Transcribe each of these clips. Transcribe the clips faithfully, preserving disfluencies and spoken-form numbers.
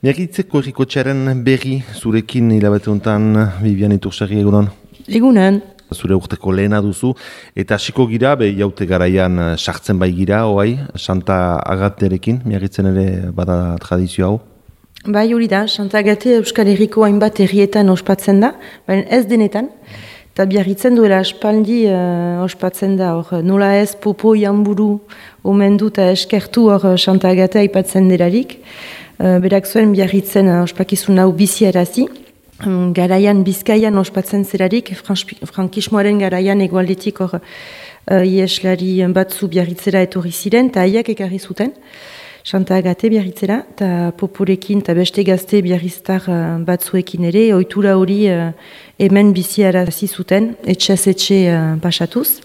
Miagitzeko errikotxearen berri zurekin hilabete honetan Bibian Itursarri egunon? Egunen. Zure urteko lehena duzu, eta hasiko gira, be jaute garaian sartzen bai gira, oai, Santa Agaterekin, miagitzen ere bada tradizio hau? Bai hori da, Santa Agate Euskal Herriko hainbat herrietan ospatzen da, baina ez denetan. Eta biarritzen duela aspaldi uh, ospatzen da, hor nola ez popo janburu omendu eta eskertu hor Santa Agate aipatzen delarik. Uh, berak zuen biarritzen uh, ospakizun hau biziarazi. Um, garaian Bizkaian ospatzen zelarik, frankismoaren garaian egualdetik hor uh, ieslari batzu biarritzera etorri ziren, eta haiek ekarri zuten. Santa Agate biarritzera, eta poporekin eta beste gazte biarriztar uh, batzuekin ere, ohitura hori uh, hemen biziarazi zuten, etxez etxe uh, pasatuz.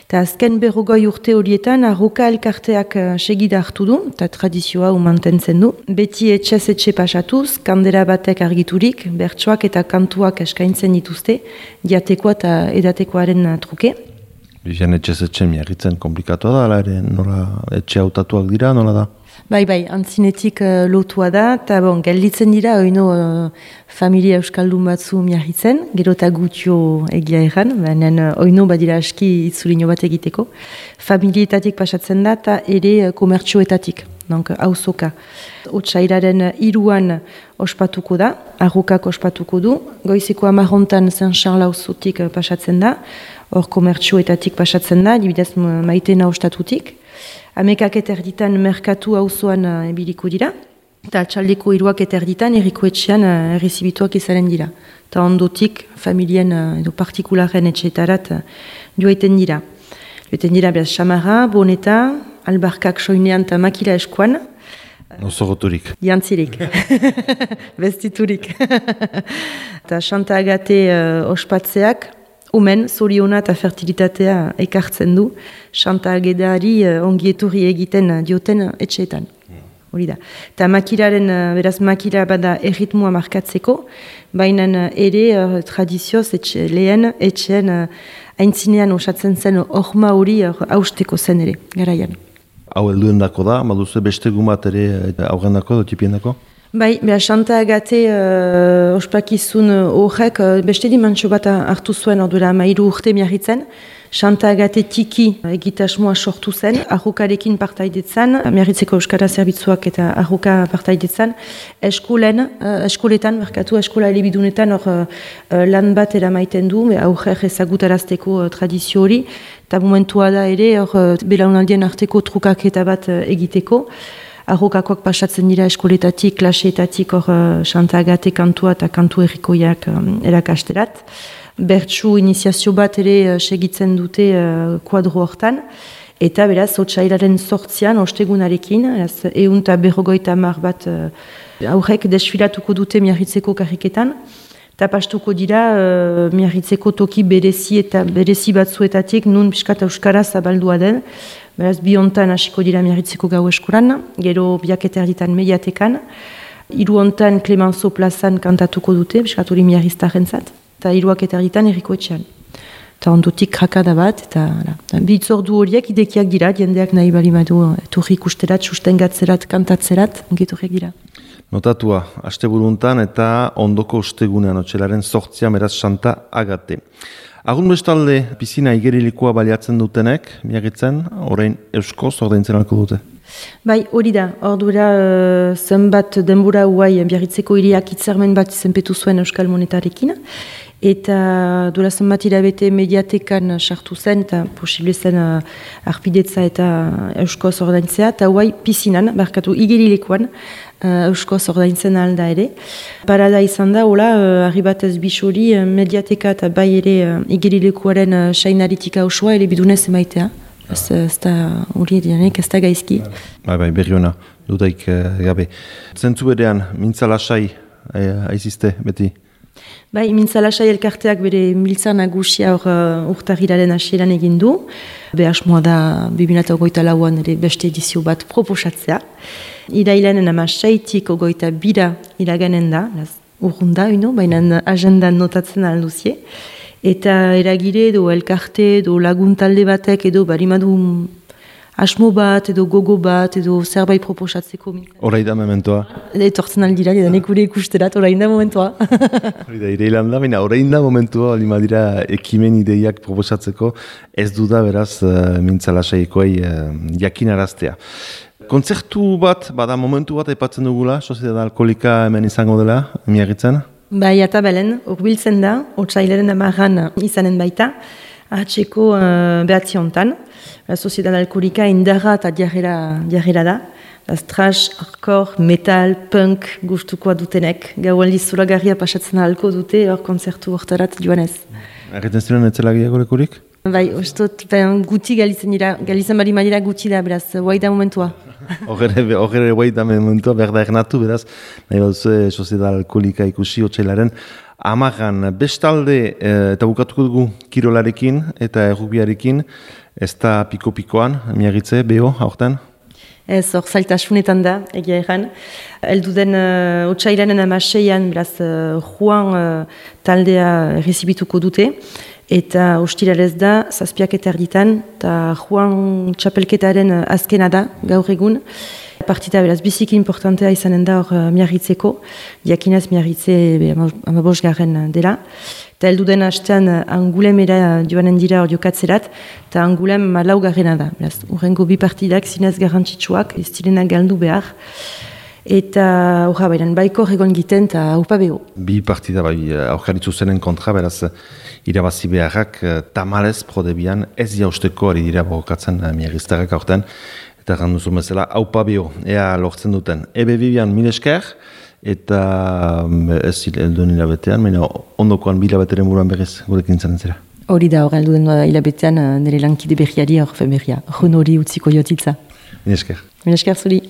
Eta azken berrogoi urte horietan, arroka elkarteak uh, segida hartu du, eta tradizioa mantentzen du. Beti etxez etxe pasatuz, kandela batek argiturik, bertsoak eta kantuak eskaintzen dituzte, diatekoa eta edatekoaren truke. Bizian etxez etxe miagitzen komplikatoa da, ala ere nola etxe hautatuak dira, nola da? Bai, bai, antzinetik uh, lotua da, eta bon, gelditzen dira, oino uh, familia euskaldun batzu miarritzen, gero eta gutio egia erran, benen uh, oino badira aski itzulino bat egiteko. Familietatik pasatzen da, eta ere uh, komertxoetatik, donc hauzoka. Otsairaren iruan ospatuko da, arrokak ospatuko du, goizeko amarrontan Saint-Charles hauzotik uh, pasatzen da, hor komertxoetatik pasatzen da, dibidez maitena ostatutik. Amekak eta erditan merkatu auzoan uh, ebiliko dira, eta txaldeko iruak eta erditan errikoetxean uh, errezibituak izaren dira. Eta ondotik familien uh, edo partikularen etxeetarat uh, joaiten dira. Joaiten dira behaz xamarra, boneta, albarkak soinean eta makila eskuan. Nosoroturik. Jantzirik. Bestiturik. Eta Santa Agate uh, ospatzeak, omen, zoriona eta fertilitatea ekartzen du, Santa Ageteari uh, ongieturri egiten uh, dioten etxeetan. Hori da. Eta makilaren, uh, beraz makila bada erritmua markatzeko, baina uh, ere uh, tradizioz etxe, lehen etxean uh, aintzinean osatzen zen orma hori uh, hausteko zen ere, garaian. Hau helduen dako da, baduzu beste gumat ere aurren dako, dotipien dako? Bai, beha Santa Agate uh, ospakizun horrek uh, beste dimantxo bat hartu zuen orduela mairu urte miarritzen. Santa Agate tiki egitasmoa sortu zen, arrokarekin partaidetzan, miarritzeko euskara zerbitzuak eta arroka partaidetzan, eskolen, uh, eskoletan, merkatu eskola elebidunetan hor uh, lan bat eramaiten du, aurrer ezagutarazteko uh, tradizio hori, eta momentua da ere hor uh, belaunaldien arteko trukaketa bat uh, egiteko. Arrokakoak pasatzen dira eskoletatik, klaseetatik hor uh, Santa Agate kantua eta kantu errikoiak um, erakasterat. Bertsu iniziazio bat ere uh, segitzen dute uh, kuadro hortan. Eta beraz, otsailaren sortzian, ostegunarekin, ehun eta berrogoita hamar bat uh, aurrek desfilatuko dute miarritzeko karriketan. Eta pastuko dira uh, miarritzeko toki berezi eta berezi batzuetatik nun piskat euskara zabaldua den. Beraz, bi hontan hasiko dira miarritzeko gau eskolan, gero biak eta erditan mediatekan. Hiru hontan Clemenceau plazan kantatuko dute, piskat hori miarriztaren zat. Eta hiruak eta erditan errikoetxean. Eta ondotik krakada bat, eta bi itzordu horiek idekiak dira, jendeak nahi bali badu etorri ikusterat, sustengatzerat, kantatzerat, ongetorriak dira. Notatua, asteburuntan eta ondoko ostegunean, otxelaren sortzian beraz Santa Agate. Agun bestalde, pisina igerilikoa baliatzen dutenek, miagitzen, orain euskoz ordaintzen alko dute? Bai, hori da, ordura uh, zenbat denbora huai biarritzeko hiriak hitzarmen bat izenpetu zuen Euskal Monetarekin, eta duela zenbat hilabete mediatekan sartu zen, eta posible zen uh, arpidetza eta euskoz ordaintzea, eta huai pisinan, barkatu igerilikoan, Uh, euskoz ordaintzen alda ere. Parada izan da, hola, uh, arribatez bisori, uh, mediateka eta bai ere uh, igerilekuaren uh, sainaritika osoa, ele bidunez emaitea. Ez, ez da hori edianek, ez da gaizki. Bai, bai, berri hona, dudaik uh, gabe. Zentzu berean, mintzalasai eh, aizizte, beti? Bai, mintzalasai elkarteak bere miltza nagusia hor uh, urtarrilaren hasieran egin du. Behasmoa da, bi mila hogeita lauan ere beste edizio bat proposatzea. Irailanen ama seitik ogoita bira iraganen da, urrunda, ino, baina agendan notatzen alduzie. Eta eragire edo elkarte edo laguntalde batek edo barimadu asmo bat, edo gogo bat, edo zerbait proposatzeko. Horai da mementoa. Etortzen aldira, edanek gure ikusterat, orain da momentua. Hori da, ireilan da, baina orain da momentua, lima dira ekimen ideiak proposatzeko, ez du da beraz uh, mintzalasaikoei uh, jakinaraztea. Kontzertu bat, bada momentu bat aipatzen dugula, Soziedad Alkoholika hemen izango dela, Miarritzen? Bai, eta belen, urbiltzen da, otsailaren amarran izanen baita, ahatseko uh, behatzi hontan. La Soziedad Alkoholika indarra eta diarrera da. Trash, hardcore, metal, punk gustukoa dutenek. Gau aldiz zuragarria pasatzen ahalko dute, hor kontzertu hortarat joanez. Erretzen ziren etzelagiako lekurik? Bai, ostot, ben, guti galitzen dira, galitzen bari madira guti da, beraz, guai da momentua. Horre guai da momentua, berda ernatu, beraz, nahi baduzu Soziedad Alkoholika ikusi otsailaren amagan. Bestalde, eta bukatuko dugu kirolarekin eta errugbiarekin, ez da piko-pikoan, Miarritze, beho, aurten? Ez, hor zailtasunetan da, egia erran. Elduden uh, otsailaren amaseian, beraz, uh, Juan uh, taldea errezibituko dute, eta ostiralez da, zazpiak eta erditan, eta Juan txapelketaren azkena da, gaur egun. Partita beraz biziki importantea izanen da hor uh, Miarritzeko, diakinaz Miarritze amabos garen dela. Eta elduden hastean uh, Angulemera joanen dira hor jokatzerat, eta Angulem malau garrena da. Beraz, urrengo bi partidak zinez garrantzitsuak, ez direnak galdu behar. Eta horra bairan, baiko egon giten eta haupa beho. Bi partida bai, aurkaritzu zenen kontra, beraz, irabazi beharrak tamalez prodebian ez jausteko ari dira bokatzen Miarriztarrak aurten. Eta ganduzu bezala, haupa beho, ea lortzen duten. Ebe bibian mil esker, eta ez helduen hilabetean, baina ondokoan bi hilabeteren buruan berriz gurekin zaren zera. Hori da, hor helduen hilabetean nire lankide berriari hor femeria. Hon hori utziko jotitza. Mil esker. Mil esker zuri.